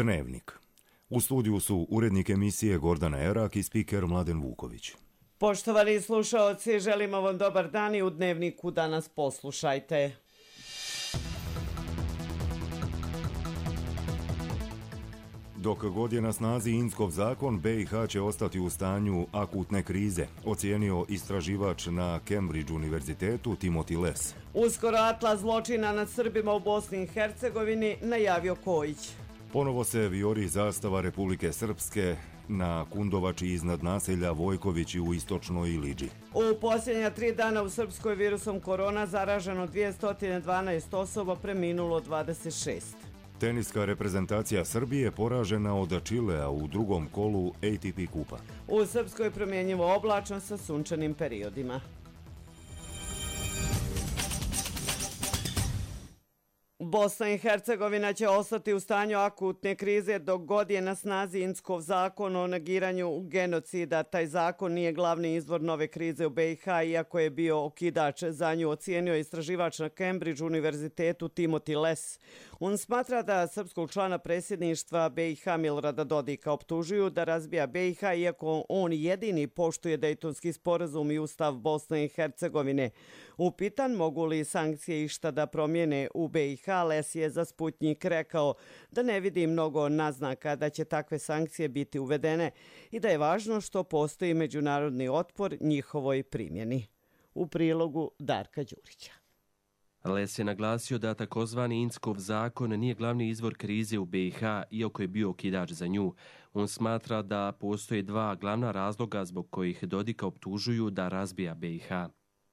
Dnevnik. U studiju su urednik emisije Gordana Erak i spiker Mladen Vuković. Poštovani slušaoci, želimo vam dobar dan i u Dnevniku danas poslušajte. Dok god je na snazi Inckov zakon, BiH će ostati u stanju akutne krize, ocijenio istraživač na Cambridge univerzitetu Timothy Les. Uskoro atlas zločina nad Srbima u Bosni i Hercegovini, najavio Kojić. Ponovo se vijori zastava Republike Srpske na Kundovači iznad naselja Vojkovići u istočnoj Iliđi. U posljednja 3 dana u Srpskoj virusom korona zaraženo 212 osoba, preminulo 26. Teniska reprezentacija Srbije poražena od Čilea u drugom kolu ATP kupa. U Srpskoj promjenjivo oblačno sa sunčanim periodima. Bosna i Hercegovina će ostati u stanju akutne krize dok god je na snazi Inckov zakon o negiranju genocida. Taj zakon nije glavni izvor nove krize u BiH, iako je bio okidač za nju, ocijenio istraživač na Cambridge univerzitetu Timothy Les. On smatra da srpskog člana predsjedništva BiH Milorada Dodika optužuju da razbija BiH, iako on jedini poštuje Dejtonski sporazum i ustav Bosne i Hercegovine. Upitan mogu li sankcije išta da promijene u BiH, Les je za Sputnjik rekao da ne vidi mnogo naznaka da će takve sankcije biti uvedene i da je važno što postoji međunarodni otpor njihovoj primjeni. U prilogu Darka Đurića. Les je naglasio da takozvani Inckov zakon nije glavni izvor krize u BiH, iako je bio okidač za nju. On smatra da postoje 2 glavna razloga zbog kojih Dodika optužuju da razbija BiH.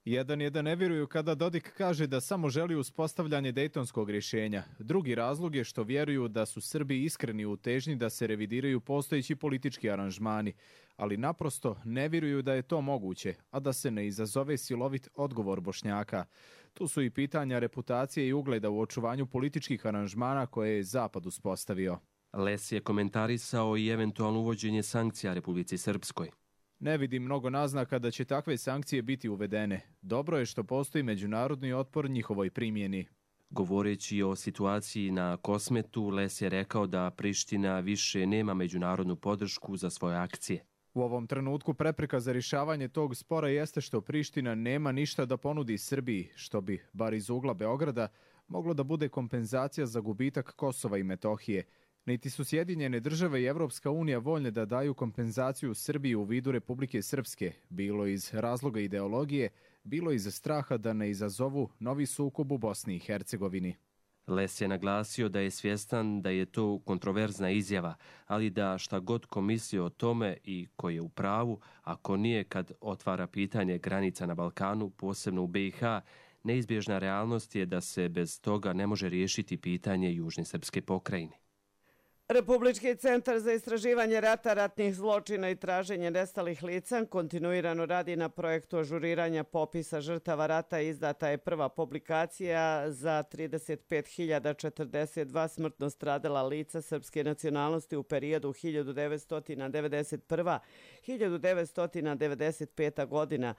Jedan je da ne vjeruju kada Dodik kaže da samo želi uspostavljanje dejtonskog rješenja. Drugi razlog je što vjeruju da su Srbi iskreni u težnji da se revidiraju postojeći politički aranžmani, ali naprosto ne vjeruju da je to moguće, a da se ne izazove silovit odgovor Bošnjaka. Tu su i pitanja reputacije i ugleda u očuvanju političkih aranžmana koje je Zapad uspostavio. Les je komentarisao i eventualno uvođenje sankcija Republici Srpskoj. Ne vidim mnogo naznaka da će takve sankcije biti uvedene. Dobro je što postoji međunarodni otpor njihovoj primjeni. Govoreći o situaciji na Kosmetu, Les je rekao da Priština više nema međunarodnu podršku za svoje akcije. U ovom trenutku prepreka za rješavanje tog spora jeste što Priština nema ništa da ponudi Srbiji, što bi, bar iz ugla Beograda, moglo da bude kompenzacija za gubitak Kosova i Metohije. Niti su Sjedinjene države i Evropska unija voljne da daju kompenzaciju Srbiji u vidu Republike Srpske, bilo iz razloga ideologije, bilo iz straha da ne izazovu novi sukob u Bosni i Hercegovini. Les je naglasio da je svjestan da je to kontroverzna izjava, ali da šta god ko misli o tome i ko je u pravu, ako nije kad otvara pitanje granica na Balkanu, posebno u BiH, neizbježna realnost je da se bez toga ne može riješiti pitanje Južne srpske pokrajine. Republički centar za istraživanje rata, ratnih zločina i traženje nestalih lica kontinuirano radi na projektu ažuriranja popisa žrtava rata. Izdata je prva publikacija za 35.042 smrtno stradala lica srpske nacionalnosti u periodu 1991-1995 godina.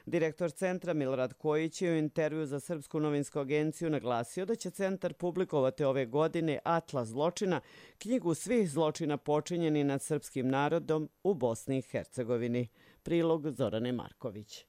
Direktor centra Milorad Kojić je u intervju za Srpsku novinsku agenciju naglasio da će centar publikovati ove godine atlas zločina, knjigu svih zločina počinjeni nad srpskim narodom u Bosni i Hercegovini. Prilog Zorane Marković.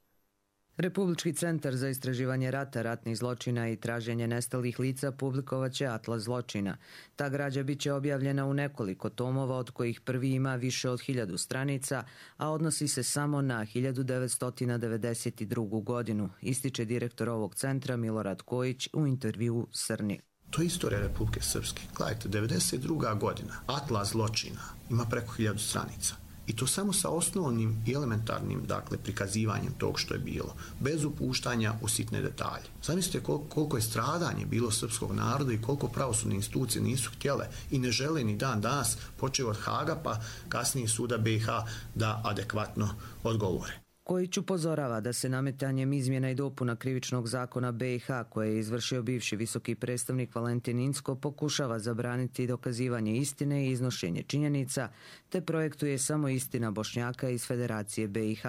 Republički centar za istraživanje rata, ratnih zločina i traženje nestalih lica publikovaće atlas zločina. Ta građa biće objavljena u nekoliko tomova, od kojih prvi ima više od 1000 stranica, a odnosi se samo na 1992. godinu, ističe direktor ovog centra Milorad Kojić u intervjuu Srni. To je istorija Republike Srpske. Gledajte, 92. godina, atlas zločina, ima preko 1000 stranica. I to samo sa osnovnim i elementarnim, prikazivanjem tog što je bilo, bez upuštanja u sitne detalje. Zamislite koliko je stradanje bilo srpskog naroda i koliko pravosudne institucije nisu htjele i ne žele ni dan danas, počeo od Haga pa kasnije suda BiH, da adekvatno odgovore. Kojić upozorava da se nametanjem izmjena i dopuna krivičnog zakona BiH, koje je izvršio bivši visoki predstavnik Valentin Incko, pokušava zabraniti dokazivanje istine i iznošenje činjenica, te projektuje samo istina Bošnjaka iz Federacije BiH.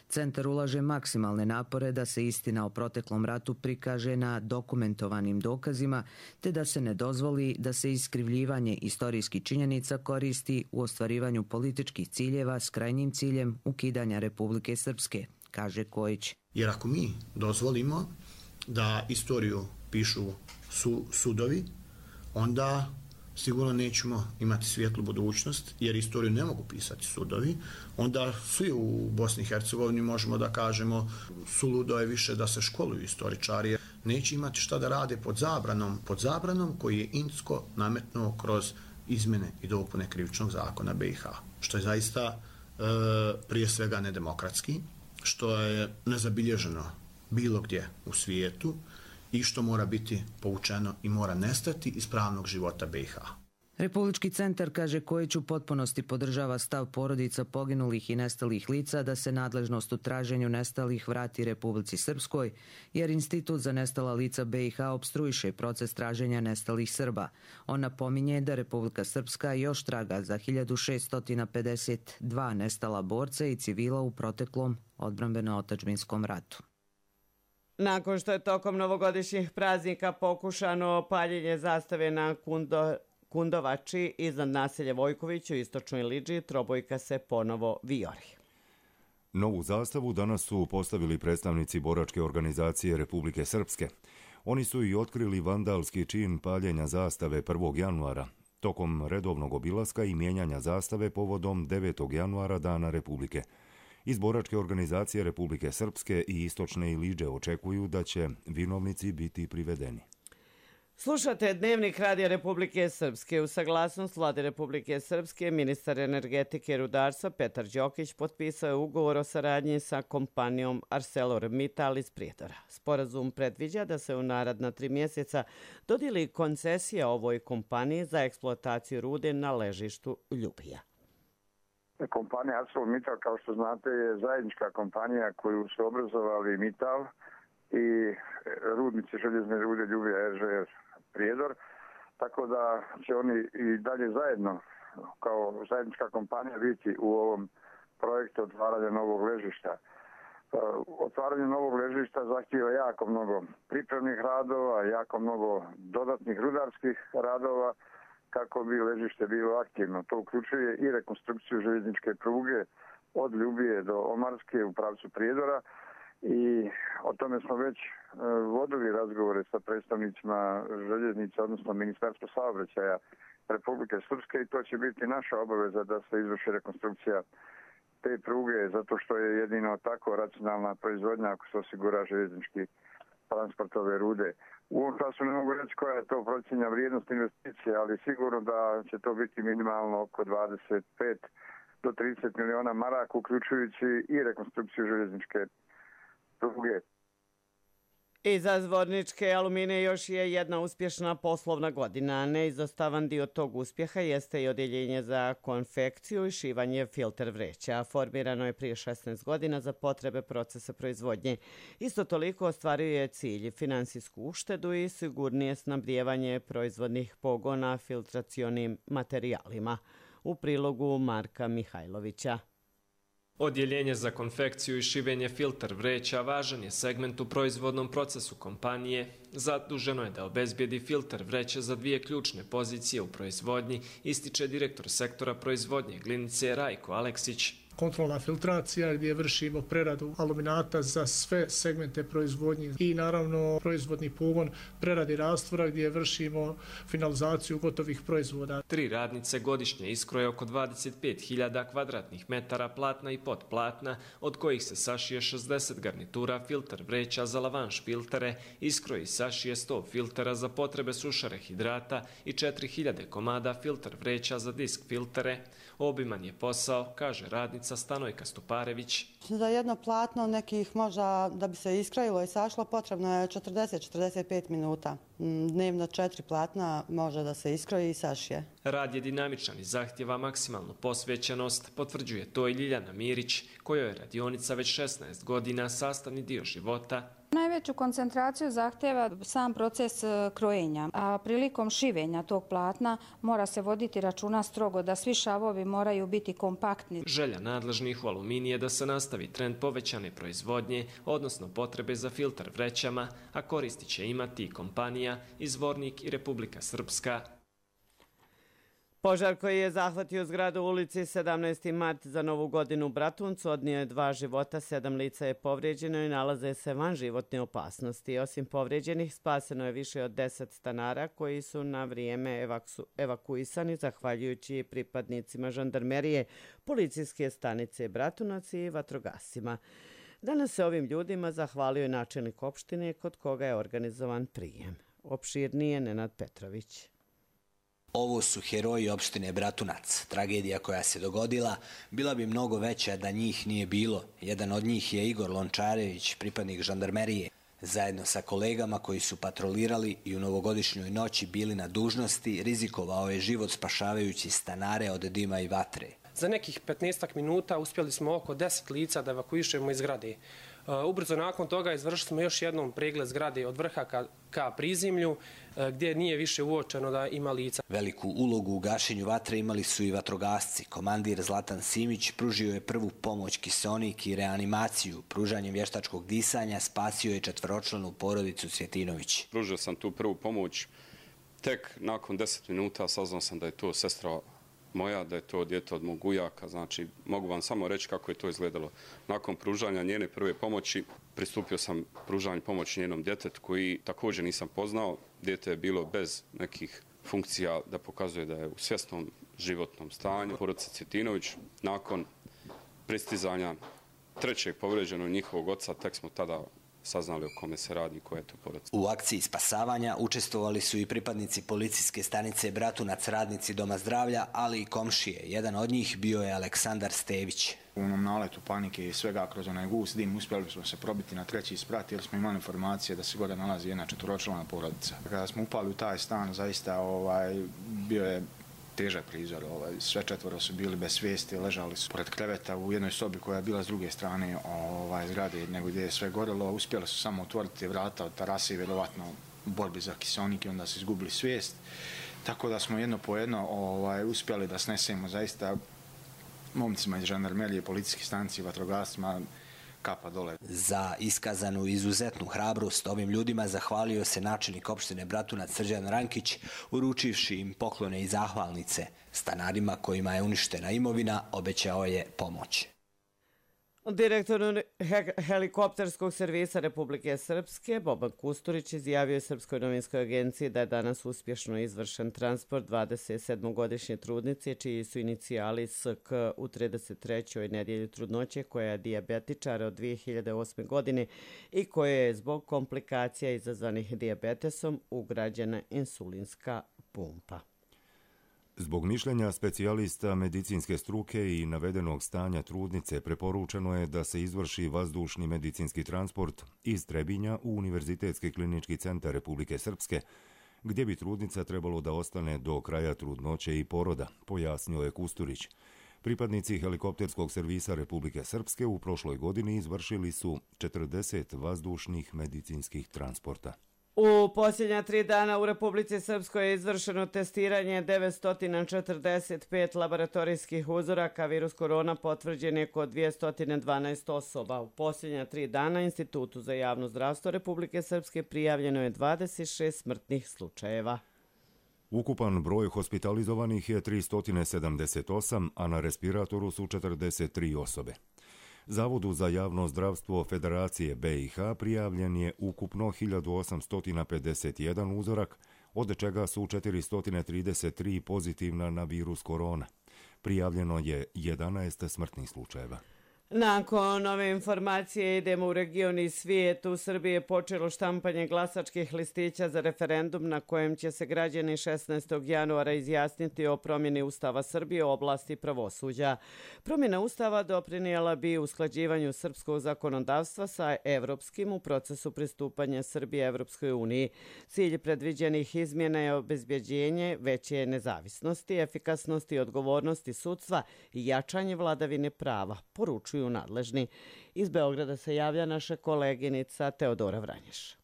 Centar ulaže maksimalne napore da se istina o proteklom ratu prikaže na dokumentovanim dokazima, te da se ne dozvoli da se iskrivljivanje istorijskih činjenica koristi u ostvarivanju političkih ciljeva s krajnjim ciljem ukidanja Republike Srpske, kaže Kojić. Jer ako mi dozvolimo da istoriju pišu sudovi, onda sigurno nećemo imati svijetlu budućnost, jer istoriju ne mogu pisati sudovi. Onda svi u Bosni i Hercegovini možemo da kažemo suludo je više da se školuju istoričari. Neće imati šta da rade pod zabranom koji je Incko nametnuo kroz izmjene i dopune krivičnog zakona BiH. Što je zaista prije svega nedemokratski, što je nezabilježeno bilo gdje u svijetu i što mora biti povučeno i mora nestati iz pravnog života BiH. Republički centar, kaže Kojić, u potpunosti podržava stav porodica poginulih i nestalih lica da se nadležnost u traženju nestalih vrati Republici Srpskoj, jer Institut za nestala lica BiH opstruiše proces traženja nestalih Srba. On napominje da Republika Srpska još traga za 1652 nestala borca i civila u proteklom odbrambeno-otadžbinskom ratu. Nakon što je tokom novogodišnjih praznika pokušano paljenje zastave na Kundovači iznad naselja Vojković u istočnoj Lidži, trobojka se ponovo vijori. Novu zastavu danas su postavili predstavnici boračke organizacije Republike Srpske. Oni su i otkrili vandalski čin paljenja zastave 1. januara, tokom redovnog obilaska i mijenjanja zastave povodom 9. januara Dana Republike. Iz boračke organizacije Republike Srpske i istočne Ilidže očekuju da će vinovnici biti privedeni. Slušate Dnevnik Radija Republike Srpske. U saglasnost Vlade Republike Srpske, ministar energetike i rudarstva Petar Đokić potpisao je ugovor o saradnji sa kompanijom ArcelorMittal iz Prijedora. Sporazum predviđa da se u naredna 3 mjeseca dodijeli koncesija ovoj kompaniji za eksploataciju rude na ležištu Ljubija. Kompanija ArcelorMittal, kao što znate, je zajednička kompanija koju su obrazovali Mittal i rudnici željezne rude Ljubija RŽR Prijedor, tako da će oni i dalje zajedno kao zajednička kompanija biti u ovom projektu otvaranja novog ležišta. Otvaranje novog ležišta zahtijeva jako mnogo pripremnih radova, jako mnogo dodatnih rudarskih radova kako bi ležište bilo aktivno. To uključuje i rekonstrukciju željezničke pruge od Ljubije do Omarske u pravcu Prijedora i o tome smo već vodili razgovore sa predstavnicima željeznica, odnosno Ministarstva saobraćaja Republike Srpske i to će biti naša obaveza da se izvrši rekonstrukcija te pruge, zato što je jedino tako racionalna proizvodnja ako se osigura željeznički transport ove rude. U ovom času ne mogu reći koja je to procjenja vrijednost investicije, ali sigurno da će to biti minimalno oko 25 do 30 miliona maraka, uključujući i rekonstrukciju željezničke pruge. Iza Zvorničke Alumine još je jedna uspješna poslovna godina. Neizostavan dio tog uspjeha jeste i odjeljenje za konfekciju i šivanje filter vreća. Formirano je prije 16 godina za potrebe procesa proizvodnje. Isto toliko ostvaruje cilj finansijsku uštedu i sigurnije snabdijevanje proizvodnih pogona filtracionim materijalima. U prilogu Marka Mihajlovića. Odjeljenje za konfekciju i šivenje filter vreća važan je segment u proizvodnom procesu kompanije. Zaduženo je da obezbijedi filter vreće za 2 ključne pozicije u proizvodnji, ističe direktor sektora proizvodnje glinice Rajko Aleksić. Kontrolna filtracija gdje vršimo preradu aluminata za sve segmente proizvodnje i naravno proizvodni pogon preradi rastvora gdje vršimo finalizaciju gotovih proizvoda. 3 radnice godišnje iskroje oko 25.000 kvadratnih metara platna i potplatna, od kojih se sašije 60 garnitura filter vreća za lavanš filtere, iskroji i sašije 100 filtera za potrebe sušare hidrata i 4.000 komada filter vreća za disk filtere. Obiman je posao, kaže radnica Stanojka Stuparević. Za jedno platno nekih možda da bi se iskrojilo i sašlo potrebno je 40-45 minuta. Dnevno 4 platna može da se iskroji i sašije. Rad je dinamičan i zahtjeva maksimalnu posvećenost, potvrđuje to i Ljiljana Mirić, kojoj je radionica već 16 godina sastavni dio života. Najveću koncentraciju zahtjeva sam proces krojenja, a prilikom šivenja tog platna mora se voditi računa strogo da svi šavovi moraju biti kompaktni. Želja nadležnih u Aluminiji je da se nastavi trend povećane proizvodnje, odnosno potrebe za filtar vrećama, a koristi će imati i kompanija, Izvornik i Republika Srpska. Požar koji je zahvatio zgradu u ulici 17. mart za Novu godinu u Bratuncu odnio je 2 života, 7 lica je povrijeđeno i nalaze se van životne opasnosti. Osim povrijeđenih, spaseno je više od 10 stanara koji su na vrijeme evakuisani zahvaljujući pripadnicima žandarmerije, policijske stanice Bratunac i vatrogascima. Danas se ovim ljudima zahvalio i načelnik opštine kod koga je organizovan prijem. Opširnije Nenad Petrović. Ovo su heroji opštine Bratunac. Tragedija koja se dogodila bila bi mnogo veća da njih nije bilo. Jedan od njih je Igor Lončarević, pripadnik žandarmerije. Zajedno sa kolegama koji su patrolirali i u novogodišnjoj noći bili na dužnosti, rizikovao je život spašavajući stanare od dima i vatre. Za nekih 15 minuta uspjeli smo oko 10 lica da evakuišemo iz zgrade. Ubrzo nakon toga izvršili smo još jednom pregled zgrade od vrha ka prizemlju, gdje nije više uočeno da ima lica. Veliku ulogu u gašenju vatre imali su i vatrogasci. Komandir Zlatan Simić pružio je prvu pomoć, kiseonik i reanimaciju. Pružanjem vještačkog disanja spasio je 4-članu porodicu Cvjetinović. Pružio sam tu prvu pomoć. Tek nakon 10 minuta saznao sam da je to sestra moja, da je to dijete od mog ujaka, znači mogu vam samo reći kako je to izgledalo. Nakon pružanja njene prve pomoći pristupio sam pružanju pomoći njenom djetetu koji također nisam poznao. Dijete je bilo bez nekih funkcija da pokazuje da je u svjesnom životnom stanju. Porodica Cvjetinović, nakon pristizanja trećeg povrijeđenog njihovog oca, tek smo tada saznali o kome se radi i koja je to porodica. U akciji spasavanja učestvovali su i pripadnici policijske stanice Bratunac, radnici Doma zdravlja, ali i komšije. Jedan od njih bio je Aleksandar Stević. U onom naletu panike i svega kroz onaj gust dim uspjeli smo se probiti na 3. sprat jer smo imali informacije da se gore nalazi jedna 4-člana porodica. Kada smo upali u taj stan, zaista bio je težak prizor. Sve 4 su bili bez svijesti, ležali su pored kreveta u jednoj sobi koja je bila s druge strane zgrade nego gdje je sve gorelo. Uspjeli su samo otvoriti vrata od terase i vjerovatno u borbi za kiseonik i onda su izgubili svijest. Tako da smo jedno po jedno uspjeli da snesemo zaista momcima iz žandarmerije, policijske stanice i vatrogascima kapa dole. Za iskazanu izuzetnu hrabrost ovim ljudima zahvalio se načelnik opštine Bratunac Srđan Rankić, uručivši im poklone i zahvalnice. Stanarima kojima je uništena imovina obećao je pomoć. Direktor helikopterskog servisa Republike Srpske, Boban Kusturić, izjavio je Srpskoj novinskoj agenciji da je danas uspješno izvršen transport 27-godišnje trudnice, čiji su inicijali SK u 33. nedjelji trudnoće, koja je dijabetičar od 2008. godine i koja je zbog komplikacija izazvanih dijabetesom ugrađena insulinska pumpa. Zbog mišljenja specijalista medicinske struke i navedenog stanja trudnice preporučeno je da se izvrši vazdušni medicinski transport iz Trebinja u Univerzitetski klinički centar Republike Srpske, gdje bi trudnica trebalo da ostane do kraja trudnoće i poroda, pojasnio je Kusturić. Pripadnici helikopterskog servisa Republike Srpske u prošloj godini izvršili su 40 vazdušnih medicinskih transporta. U posljednja 3 dana u Republici Srpskoj je izvršeno testiranje 945 laboratorijskih uzoraka. Virus korona potvrđen je kod 212 osoba. U posljednja 3 dana Institutu za javno zdravstvo Republike Srpske prijavljeno je 26 smrtnih slučajeva. Ukupan broj hospitalizovanih je 378, a na respiratoru su 43 osobe. Zavodu za javno zdravstvo Federacije BiH prijavljen je ukupno 1851 uzorak, od čega su 433 pozitivna na virus korona. Prijavljeno je 11 smrtnih slučajeva. Nakon ove informacije idemo u region i svijet. U Srbiji je počelo štampanje glasačkih listića za referendum na kojem će se građani 16. januara izjasniti o promjeni Ustava Srbije u oblasti pravosuđa. Promjena Ustava doprinijela bi usklađivanju srpskog zakonodavstva sa evropskim u procesu pristupanja Srbije Evropskoj uniji. Cilj predviđenih izmjena je obezbjeđenje veće nezavisnosti, efikasnosti i odgovornosti sudstva i jačanje vladavine prava, poručuju nadležni. Iz Beograda se javlja naša koleginica Teodora Vranješ.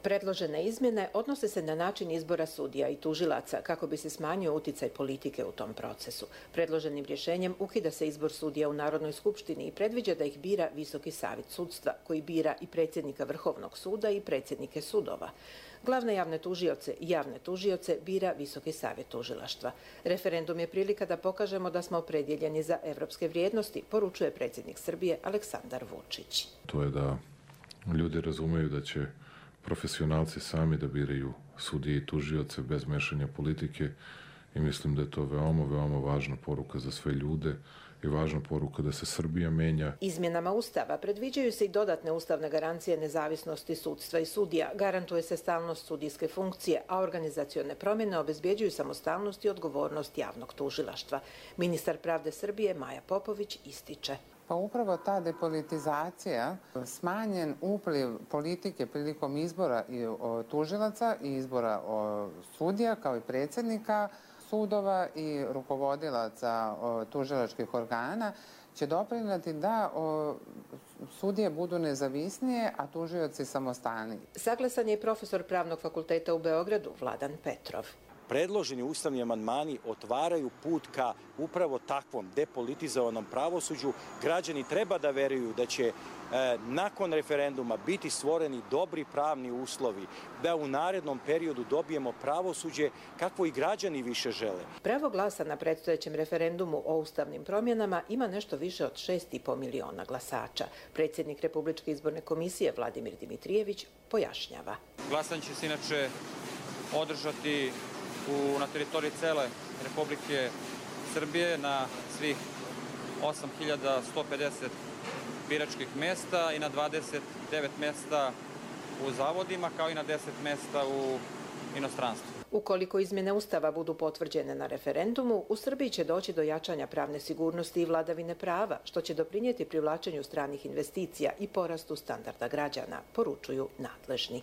Predložene izmjene odnose se na način izbora sudija i tužilaca kako bi se smanjio uticaj politike u tom procesu. Predloženim rješenjem ukida se izbor sudija u Narodnoj skupštini i predviđa da ih bira Visoki savjet sudstva, koji bira i predsjednika Vrhovnog suda i predsjednike sudova. Glavne javne tužioce i javne tužioce bira Visoki savjet tužilaštva. Referendum je prilika da pokažemo da smo opredjeljeni za evropske vrijednosti, poručuje predsjednik Srbije Aleksandar Vučić. To je da ljudi razumeju da će profesionalci sami da biraju sudije i tužioce bez mešanja politike i mislim da je to veoma, veoma važna poruka za sve ljude i važna poruka da se Srbija menja. Izmjenama Ustava predviđaju se i dodatne ustavne garancije nezavisnosti sudstva i sudija, garantuje se stalnost sudijske funkcije, a organizacione promjene obezbjeđuju samostalnost i odgovornost javnog tužilaštva. Ministar pravde Srbije Maja Popović ističe. Pa upravo ta depolitizacija, smanjen upliv politike prilikom izbora tužilaca i izbora sudija kao i predsjednika sudova i rukovodilaca tužilačkih organa će doprinijeti da sudije budu nezavisnije, a tužioci samostalniji. Saglasan je i profesor Pravnog fakulteta u Beogradu Vladan Petrov. Predloženi ustavni amandmani otvaraju put ka upravo takvom depolitizovanom pravosuđu. Građani treba da veruju da će nakon referenduma biti stvoreni dobri pravni uslovi, da u narednom periodu dobijemo pravosuđe kakvo i građani više žele. Pravo glasa na predstojećem referendumu o ustavnim promjenama ima nešto više od 6,5 miliona glasača. Predsjednik Republičke izborne komisije Vladimir Dimitrijević pojašnjava. Glasanje će se inače održati na teritoriji cele Republike Srbije na svih 8.150 biračkih mjesta i na 29 mjesta u zavodima, kao i na 10 mjesta u inostranstvu. Ukoliko izmjene Ustava budu potvrđene na referendumu, u Srbiji će doći do jačanja pravne sigurnosti i vladavine prava, što će doprinijeti privlačenju stranih investicija i porastu standarda građana, poručuju nadležni.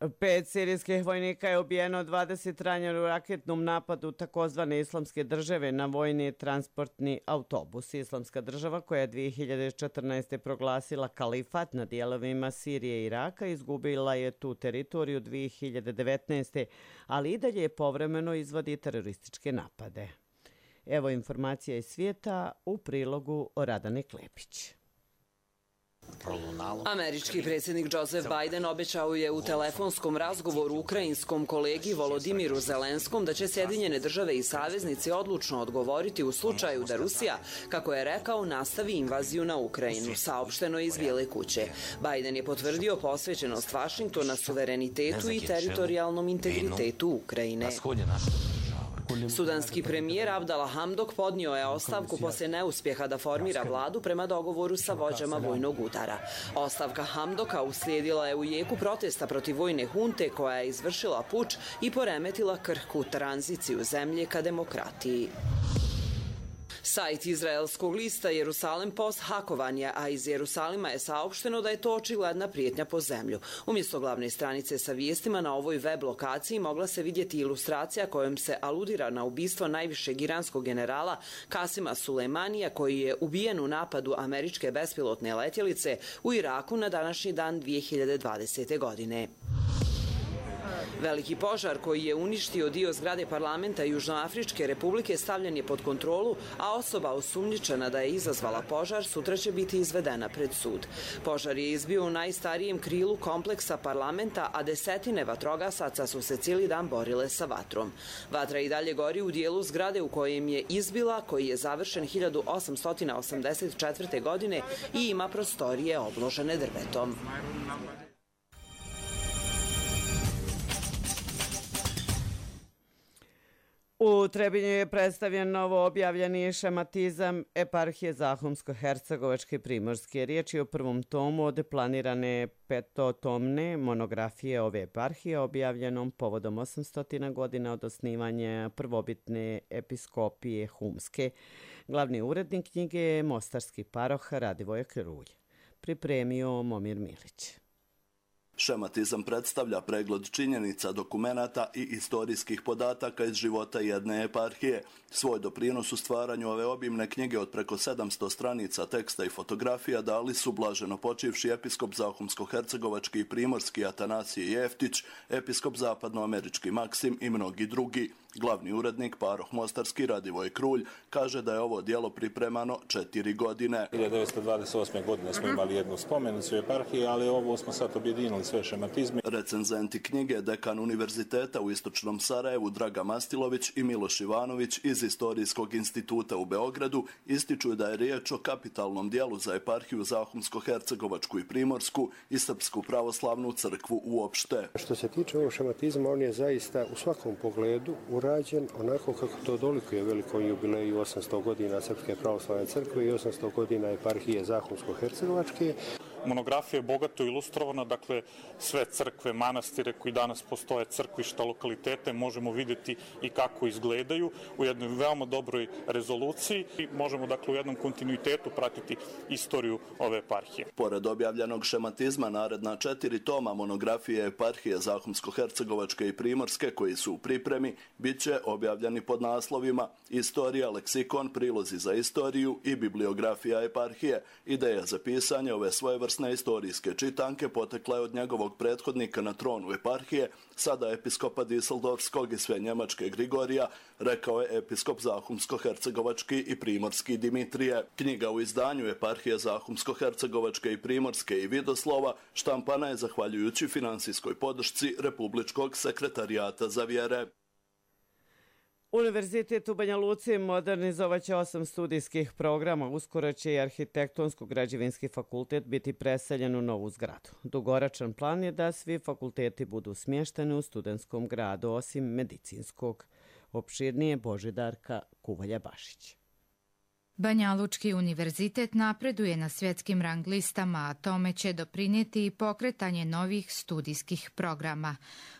5 sirijskih vojnika je ubijeno, 20 ranjeno u raketnom napadu takozvane Islamske države na vojni transportni autobus. Islamska država, koja je 2014. proglasila kalifat na dijelovima Sirije i Iraka, izgubila je tu teritoriju 2019. ali i dalje povremeno izvodi terorističke napade. Evo informacija iz svijeta u prilogu Radane Klepić. Američki predsjednik Joseph Biden obećao je u telefonskom razgovoru ukrajinskom kolegi Volodimiru Zelenskom da će Sjedinjene države i saveznici odlučno odgovoriti u slučaju da Rusija, kako je rekao, nastavi invaziju na Ukrajinu, saopšteno iz Bijele kuće. Biden je potvrdio posvećenost Vašingtona suverenitetu i teritorijalnom integritetu Ukrajine. Sudanski premijer Abdala Hamdok podnio je ostavku poslije neuspjeha da formira vladu prema dogovoru sa vođama vojnog udara. Ostavka Hamdoka uslijedila je u jeku protesta protiv vojne hunte koja je izvršila puč i poremetila krhku tranziciju zemlje ka demokratiji. Sajt izraelskog lista Jerusalem Post hakovan je, a iz Jerusalima je saopšteno da je to očigledna prijetnja po zemlju. Umjesto glavne stranice sa vijestima na ovoj web lokaciji mogla se vidjeti ilustracija kojom se aludira na ubistvo najvišeg iranskog generala Kasima Sulejmanija, koji je ubijen u napadu američke bespilotne letjelice u Iraku na današnji dan 2020. godine. Veliki požar koji je uništio dio zgrade parlamenta Južnoafričke republike stavljen je pod kontrolu, a osoba osumnjičena da je izazvala požar sutra će biti izvedena pred sud. Požar je izbio u najstarijem krilu kompleksa parlamenta, a desetine vatrogasaca su se cijeli dan borile sa vatrom. Vatra i dalje gori u dijelu zgrade u kojem je izbila, koji je završen 1884. godine i ima prostorije obložene drvetom. U Trebinju je predstavljen novo objavljeni šematizam eparhije Zahumsko-Hercegovačke i Primorske. Riječ je o prvom tomu od planirane petotomne monografije ove eparhije objavljenom povodom 800 godina od osnivanja prvobitne episkopije Humske. Glavni urednik knjige je mostarski paroh Radivoje Krulj. Pripremio Momir Milić. Šematizam predstavlja pregled činjenica, dokumenata i istorijskih podataka iz života jedne eparhije. Svoj doprinos u stvaranju ove obimne knjige od preko 700 stranica teksta i fotografija dali su blaženo počivši episkop Zahumsko-Hercegovački i Primorski Atanasije Jeftić, episkop zapadnoamerički Maksim i mnogi drugi. Glavni urednik paroh mostarski Radivoj Krulj kaže da je ovo djelo pripremano 4 godine. 1928. godine smo imali jednu spomenicu eparhije, ali ovo smo sad objedinili sve šematizme. Recenzenti knjige, dekan univerziteta u Istočnom Sarajevu Draga Mastilović i Miloš Ivanović iz Istorijskog instituta u Beogradu ističu da je riječ o kapitalnom djelu za eparhiju Zahumsko-Hercegovačku i Primorsku i Srpsku pravoslavnu crkvu uopšte. Što se tiče ovog šematizma, on je zaista u svakom pogledu urađen onako kako to dolikuje velikom jubileju 800 godina Srpske pravoslavne crkve i 800 godina eparhije Zahumsko-Hercegovačke. Monografija je bogato ilustrovana, dakle sve crkve, manastire koji danas postoje, crkvišta, lokalitete, možemo vidjeti i kako izgledaju u jednoj veoma dobroj rezoluciji i možemo dakle u jednom kontinuitetu pratiti istoriju ove eparhije. Pored objavljenog šematizma, naredna 4 toma monografije eparhije Zahumsko-Hercegovačke i Primorske koji su u pripremi, bit će objavljeni pod naslovima Istorija, leksikon, prilozi za istoriju i bibliografija eparhije. Ideja za pisanje ove svojevrsne istorijske čitanke potekla je od njegovog prethodnika na tronu eparhije, sada episkopa Düsseldorfskog i sve njemačke Grigorija, rekao je episkop Zahumsko-Hercegovački i Primorski Dimitrije. Knjiga u izdanju eparhije Zahumsko-Hercegovačke i Primorske i Vidoslova štampana je zahvaljujući finansijskoj podršci Republičkog sekretarijata za vjere. Univerzitet u Banja Luci modernizovaće 8 studijskih programa. Uskoro će i Arhitektonsko-građevinski fakultet biti preseljen u novu zgradu. Dugoročan plan je da svi fakulteti budu smješteni u studentskom gradu, osim medicinskog. Opširnije Božidarka Kuvalja-Bašić. Banja Lučki univerzitet napreduje na svjetskim rang listama, a tome će doprinijeti i pokretanje novih studijskih programa.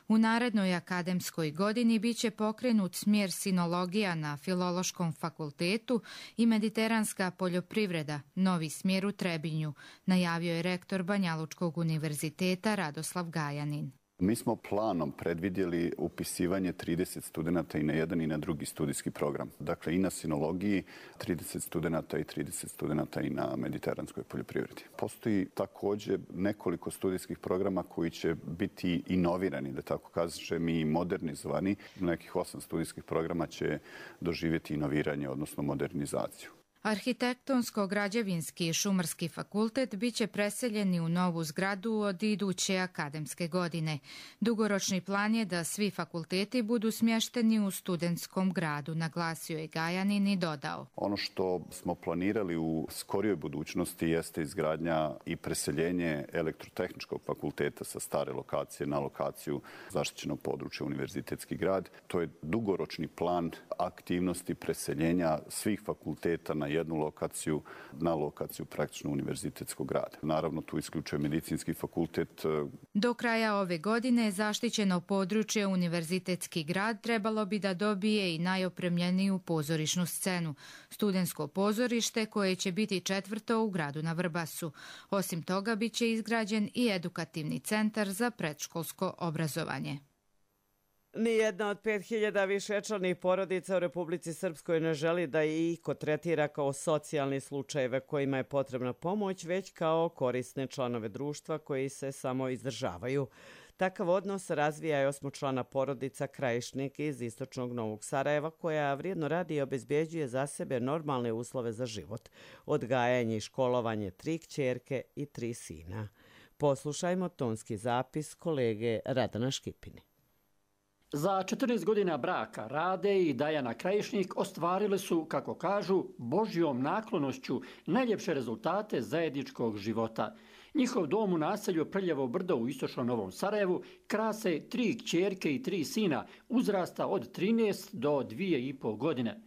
U narednoj akademskoj godini biće pokrenut smjer sinologija na Filološkom fakultetu i mediteranska poljoprivreda, novi smjer u Trebinju, najavio je rektor Banja Lučkog univerziteta Radoslav Gajanin. Mi smo planom predvidjeli upisivanje 30 studenta i na jedan i na drugi studijski program. Dakle, i na sinologiji 30 studenta i 30 studenta i na mediteranskoj poljoprivredi. Postoji također nekoliko studijskih programa koji će biti inovirani, da tako kažem, i modernizovani. Nekih 8 studijskih programa će doživjeti inoviranje, odnosno modernizaciju. Arhitektonsko-građevinski i šumarski fakultet biće preseljeni u novu zgradu od iduće akademske godine. Dugoročni plan je da svi fakulteti budu smješteni u studentskom gradu, naglasio je Gajanin i dodao. Ono što smo planirali u skorijoj budućnosti jeste izgradnja i preseljenje elektrotehničkog fakulteta sa stare lokacije na lokaciju zaštićenog područja Univerzitetski grad. To je dugoročni plan aktivnosti preseljenja svih fakulteta na jednu lokaciju, na lokaciju praktično univerzitetskog grada. Naravno, tu isključuje medicinski fakultet. Do kraja ove godine zaštićeno područje Univerzitetski grad trebalo bi da dobije i najopremljeniju pozorišnu scenu, studentsko pozorište koje će biti 4. u gradu na Vrbasu. Osim toga, bit će izgrađen i edukativni centar za predškolsko obrazovanje. Nijedna od 5000 višečlanih porodica u Republici Srpskoj ne želi da ih iko tretira kao socijalni slučajeve kojima je potrebna pomoć, već kao korisne članove društva koji se samo izdržavaju. Takav odnos razvija je 8-člana porodica Krajišnik iz istočnog Novog Sarajeva, koja vrijedno radi i obezbjeđuje za sebe normalne uslove za život, odgajanje i školovanje 3 kćerke i 3 sina. Poslušajmo tonski zapis kolege Radana Škipini. Za 14 godina braka Rade i Dajana Krajišnik ostvarili su, kako kažu, Božjom naklonošću najljepše rezultate zajedničkog života. Njihov dom u naselju Prljevo brdo u istočnom Novom Sarajevu krase 3 kćerke i 3 sina uzrasta od 13 do 2,5 godine.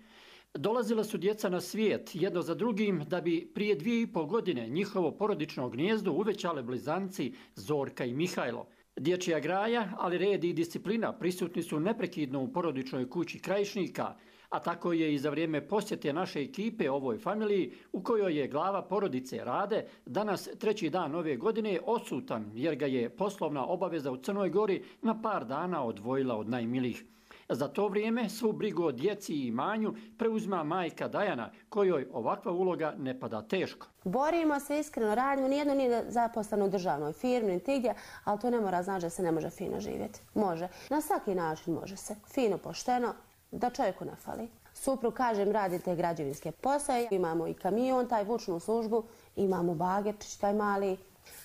Dolazila su djeca na svijet jedno za drugim da bi prije 2,5 godine njihovo porodično gnijezdo uvećale blizanci Zorka i Mihajlo. Dječja graja, ali red i disciplina prisutni su neprekidno u porodičnoj kući Krajišnika, a tako je i za vrijeme posjete naše ekipe ovoj familiji u kojoj je glava porodice Rade danas 3. dan ove godine odsutan jer ga je poslovna obaveza u Crnoj Gori na par dana odvojila od najmilijih. Za to vrijeme svu brigu o djeci i imanju preuzima majka Dajana, kojoj ovakva uloga ne pada teško. Borimo se, iskreno radimo, nijedno nije zaposleno u državnoj firmi, niti gdje, ali to ne mora znači da se ne može fino živjeti. Može. Na svaki način može se. Fino, pošteno, da čovjeku ne fali. Suprug, kažem, radi te građevinske posle, imamo i kamion, taj vučnu službu, imamo bagerčić, taj mali.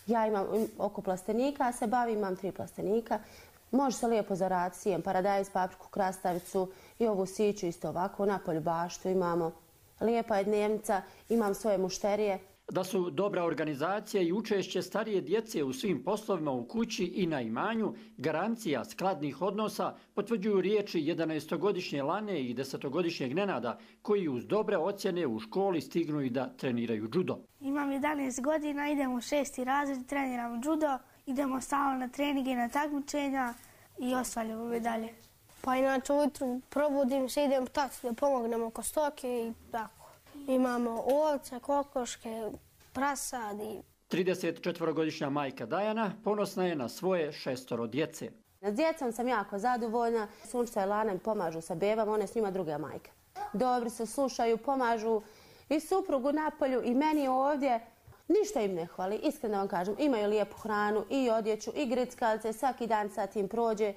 Ja imam oko plastenika, se bavim, imam 3 plastenika. Može se lijepo zaraditi, sijem paradajz, papriku, krastavicu i ovu siću isto ovako, napolju baštu imamo. Lijepa je dnevnica, imam svoje mušterije. Da su dobra organizacija i učešće starije djece u svim poslovima u kući i na imanju garancija skladnih odnosa potvrđuju riječi 11-godišnje Lane i 10-godišnjeg Nenada koji uz dobre ocjene u školi stignu i da treniraju judo. Imam 11 godina, idemo u 6. razred, treniramo judo, idemo stalno na treninge i na takmičenja i osvaljamo medalje. Pa inače ujutru probudim se, idem taci da pomognem oko stoke i tako. Imamo ovce, kokoške, prasadi. 34-godišnja majka Dajana ponosna je na svoje 6 djece. S djecom sam jako zadovoljna. Sunčica i Lana mi pomažu sa bebama, one s njima druga majka. Dobri se, slušaju, pomažu i suprugu napolju i meni ovdje. Ništa im ne hvali, iskreno vam kažem. Imaju lijepu hranu i odjeću i grickalice, svaki dan sad im prođe.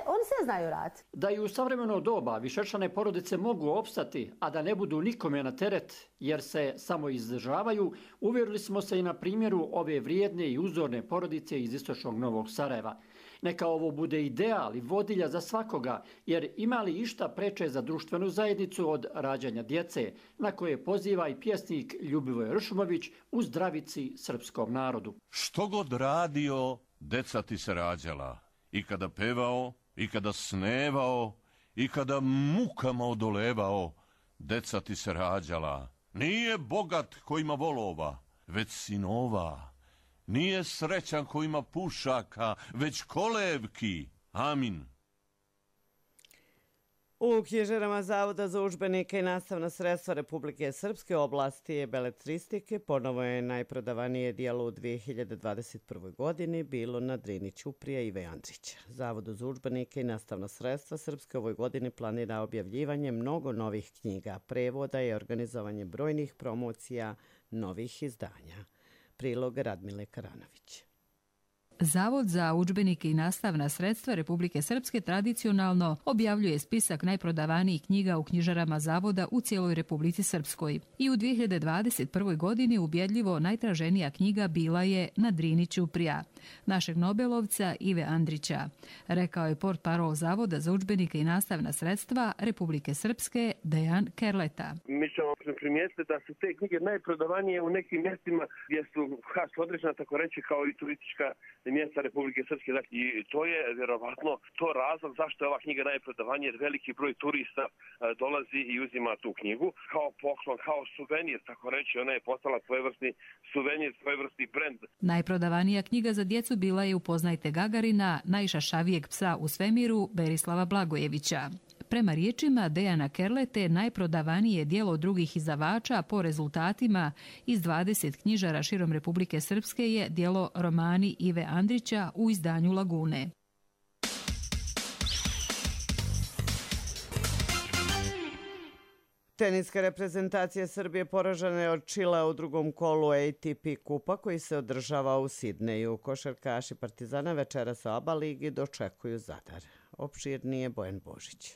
Oni sve znaju raditi. Da i u savremeno doba višečlane porodice mogu opstati, a da ne budu nikome na teret jer se samo izdržavaju, uvjerili smo se i na primjeru ove vrijedne i uzorne porodice iz istočnog Novog Sarajeva. Neka ovo bude ideal i vodilja za svakoga, jer ima li išta preče za društvenu zajednicu od rađanja djece, na koje poziva i pjesnik Ljubivoj Ršumović u zdravici srpskom narodu. Što god radio, deca ti se rađala. I kada pevao, i kada snevao, i kada mukama odolevao, deca ti se rađala. Nije bogat ko ima volova, već sinova. Nije srećan ko ima pušaka, već kolevki. Amin. U knjižarama Zavoda za udžbenike i nastavna sredstva Republike Srpske oblasti beletristike ponovo je najprodavanije dijelo u 2021. godini bilo na Drini Ćuprija Ive Andrića. Zavodu za udžbenike i nastavna sredstva Srpske ovoj godini planira objavljivanje mnogo novih knjiga, prevoda i organizovanje brojnih promocija novih izdanja. Prilog Radmile Karanović. Zavod za udžbenike i nastavna sredstva Republike Srpske tradicionalno objavljuje spisak najprodavanijih knjiga u knjižarama Zavoda u cijeloj Republici Srpskoj. I u 2021. godini ubjedljivo najtraženija knjiga bila je Na Drini Ćuprija, našeg Nobelovca Ive Andrića, rekao je portparol Zavoda za udžbenike i nastavna sredstva Republike Srpske Dejan Kerleta. Mi ćemo primijetiti da su te knjige najprodavanije u nekim mjestima gdje su određena, tako reći, kao i turistička mjesta Republike Srpske. I to je vjerovatno to razlog zašto je ova knjiga najprodavanija, jer veliki broj turista dolazi i uzima tu knjigu kao poklon, kao suvenir, tako reći. Ona je postala svojevrsni suvenir, svojevrsni brend. Najprodavanija knjiga za djecu bila je Upoznajte Gagarina, najšašavijeg psa u svemiru Berislava Blagojevića. Prema riječima Dejana Kerlete, najprodavanije dijelo drugih izdavača po rezultatima iz 20 knjižara širom Republike Srpske je dijelo Romani Ive Andrića u izdanju Lagune. Teniska reprezentacija Srbije poražena je od Čilea u drugom kolu ATP kupa koji se održava u Sidneju. Košarkaši Partizana večeras u ABA ligi dočekuju Zadar. Opširnije Bojan Božić.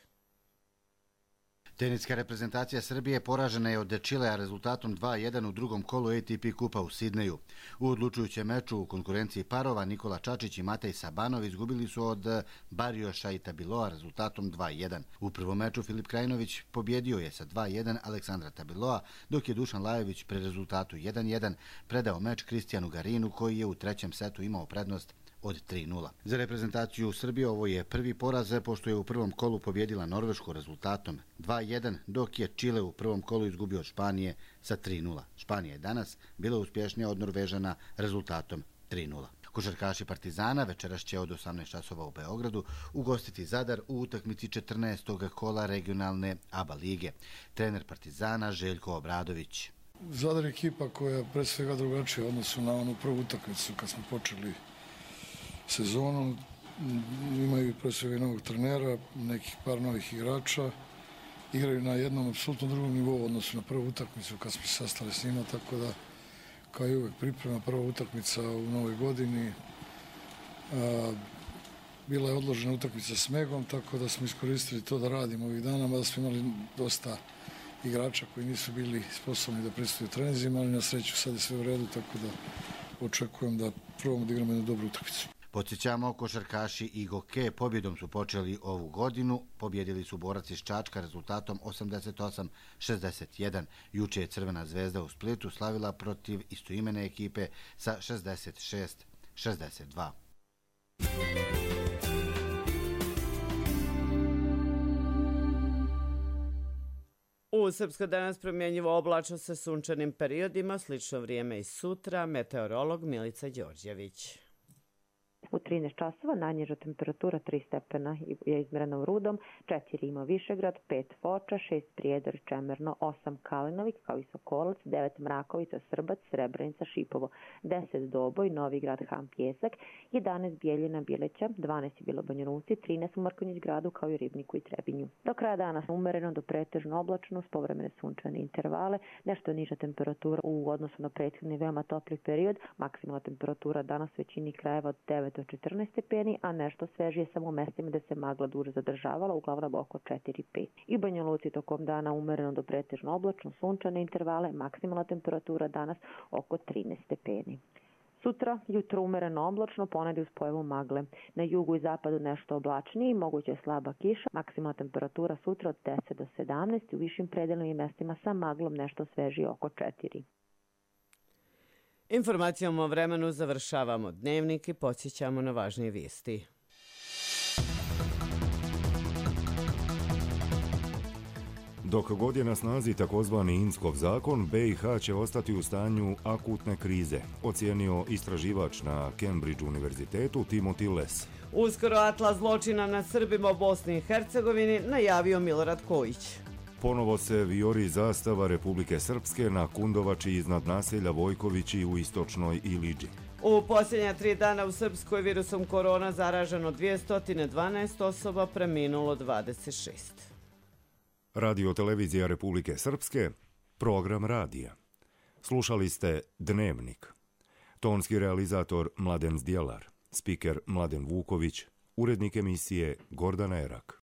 Teniska reprezentacija Srbije poražena je od Čilea rezultatom 2:1 u drugom kolu ATP kupa u Sidneju. U odlučujućem meču u konkurenciji parova Nikola Čačić i Matej Sabanov izgubili su od Barioša i Tabiloa rezultatom 2:1. U prvom meču Filip Krajinović pobjedio je sa 2:1 Aleksandra Tabiloa, dok je Dušan Lajović pre rezultatu 1:1 predao meč Kristijanu Garinu koji je u trećem setu imao prednost od 3:0. Za reprezentaciju Srbije ovo je prvi poraz, pošto je u prvom kolu pobjedila Norvešku rezultatom 2:1, dok je Čile u prvom kolu izgubio od Španije sa 3:0. Španija je danas bila uspješnija od Norvežana rezultatom 3:0. Košarkaši Partizana večeras će od 18 časova u Beogradu ugostiti Zadar u utakmici 14. kola regionalne ABA lige. Trener Partizana Željko Obradović. Zadar je ekipa koja je pred svega drugačija u odnosu na onu prvu utakmicu kad smo počeli sezonu. Imaju pre svega novog trenera, nekih par novih igrača. Igraju na jednom apsolutno drugom nivou u odnosu na prvu utakmicu kad smo se sastali s njima, tako da kao i uvek priprema prva utakmica u novoj godini. Bila je odložena utakmica s Megom, tako da smo iskoristili to da radimo ovih dana, mada smo imali dosta igrača koji nisu bili sposobni da pristaju treninzima, ali na sreću sad je sve u redu, tako da očekujem da probamo da igramo jednu dobru utakmicu. Podsjećamo, košarkaši i Goke pobjedom su počeli ovu godinu. Pobjedili su Borac iz Čačka rezultatom 88-61. Juče je Crvena zvezda u Splitu slavila protiv istoimene ekipe sa 66-62. U Srpskoj danas promjenjivo oblačno sa sunčanim periodima, slično vrijeme i sutra, meteorolog Milica Đorđević. U 13 časova najniža temperatura 3 stepena je izmjerena u Rudom, 4 ima Višegrad, 5 Foča, 6 Prijedor, Čemerno, 8 Kalinovik, kao i Sokolac, 9 Mrakovica, Srbac, Srebrenica, Šipovo, 10 Doboj, Novi Grad, Ham, Pjesak, 11 Bijeljina, Bileća, 12 je bilo Banja Luci, 13 u Mrkonjić gradu, kao i Ribniku i Trebinju. Do kraja dana umereno do pretežno oblačno, s povremene sunčane intervale, nešto niža temperatura u odnosu na prethodni veoma topli period, maksimalna temperatura danas većini krajeva od 9 do 14 stepeni, a nešto svežije samo u mestima gde se magla duže zadržavala, uglavnom oko 4-5. I u Banja Luci tokom dana umereno do pretežno oblačno, sunčane intervale, maksimalna temperatura danas oko 13 stepeni. Sutra, jutro umereno oblačno, ponedjeljak uz pojavu magle. Na jugu i zapadu nešto oblačniji, moguće je slaba kiša, maksimalna temperatura sutra od 10 do 17, u višim predelnim mestima sa maglom nešto svežije oko 4. Informacijom o vremenu završavamo dnevnik i podsjećamo na važnije vijesti. Dok god je na snazi takozvani Inckov zakon, BiH će ostati u stanju akutne krize, ocijenio istraživač na Cambridge univerzitetu Timothy Les. Uskoro atlas zločina nad Srbima u Bosni i Hercegovini najavio Milorad Kojić. Ponovo se vijori zastava Republike Srpske na Kundovači iznad naselja Vojkovići u istočnoj Iliđi. U posljednja 3 dana u Srpskoj virusom korona zaraženo 212 osoba, preminulo 26. Radio televizija Republike Srpske, program radija. Slušali ste Dnevnik. Tonski realizator Mladen Zdjelar, spiker Mladen Vuković, urednik emisije Gordana Erak.